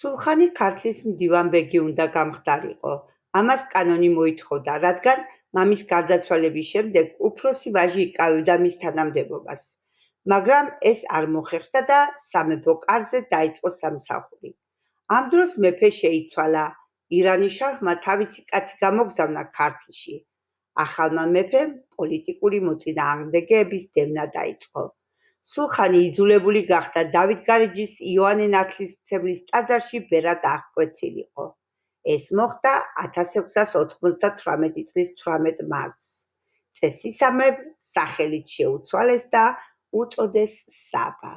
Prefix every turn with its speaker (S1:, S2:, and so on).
S1: სულხანი ქართლის მდივანბეგი უნდა გამხდარიყო. ამას კანონი მოითხოვდა, რადგან მამის გარდაცვალების შემდეგ უფროსი ვაჟი იკავებდა მის თანამდებობას. მაგრამ ეს არ მოხერხდა და სამეფო კარზე დაიწყო სამსახური. ამ დროს მეფე შეიცვალა. ირანის შაჰმა თავისი კაცი გამოგზავნა ქართლში. ახალმა მეფემ პოლიტიკური მოწინააღმდეგეების დევნა დაიწყო. სულხანი იძულებული გახდა დავითგარეჯის იოანე ნათლისმცემლის ტაძარში ბერად აღკვეცილიყო. ეს მოხდა 1698 წლის 18 მარტს. წესისამებრ სახელით შეუცვალეს და უწოდეს საბა.